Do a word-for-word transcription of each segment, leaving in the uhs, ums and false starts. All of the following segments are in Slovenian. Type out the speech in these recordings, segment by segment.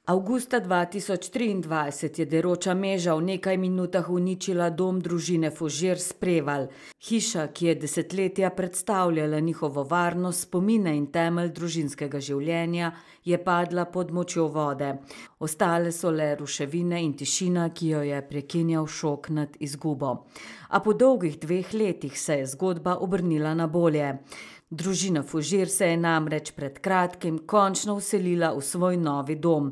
Avgusta dva tisoč triindvajset je deroča meža v nekaj minutah uničila dom družine Fužir s Prevalj. Hiša, ki je desetletja predstavljala njihovo varnost, spomine in temelj družinskega življenja, je padla pod močjo vode. Ostale so le ruševine in tišina, ki jo je prekinjal šok nad izgubo. A po dolgih dveh letih se je zgodba obrnila na bolje. Družina Fužir se je namreč pred kratkim končno vselila v svoj novi dom.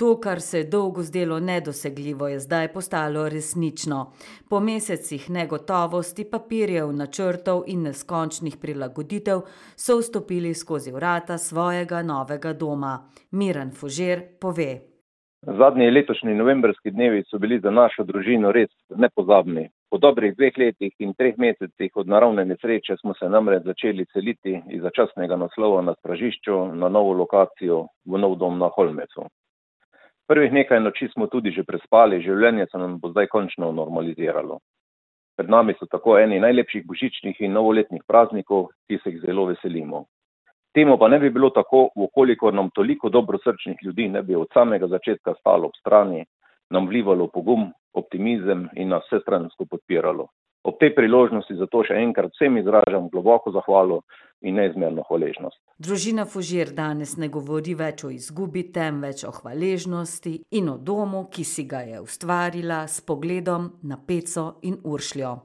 To, kar se je dolgo zdelo nedosegljivo, je zdaj postalo resnično. Po mesecih negotovosti, papirjev, načrtov in neskončnih prilagoditev so vstopili skozi vrata svojega novega doma. Miran Fužir pove: Zadnji letošnji novembrski dnevi so bili za našo družino res nepozabni. Po dobrih dveh letih in treh mesecih od naravne nesreče smo se namreč začeli seliti iz začasnega naslova na Stražišču na novo lokacijo v nov dom na Holmecu. Prvih nekaj noči smo tudi že prespali, življenje se nam bo zdaj končno normaliziralo. Pred nami so tako eni najlepših božičnih in novoletnih praznikov, ki se jih zelo veselimo. Temu pa ne bi bilo tako, ukolikor nam toliko dobrosrčnih ljudi ne bi od samega začetka stalo ob strani, nam vlivalo pogum, optimizem in nas vsestransko podpiralo. Ob tej priložnosti zato še enkrat vsem izražam globoko zahvalo in neizmerno hvaležnost. Družina Fužir danes ne govori več o izgubi, temveč o hvaležnosti in o domu, ki si ga je ustvarila s pogledom na Peco in Uršljo.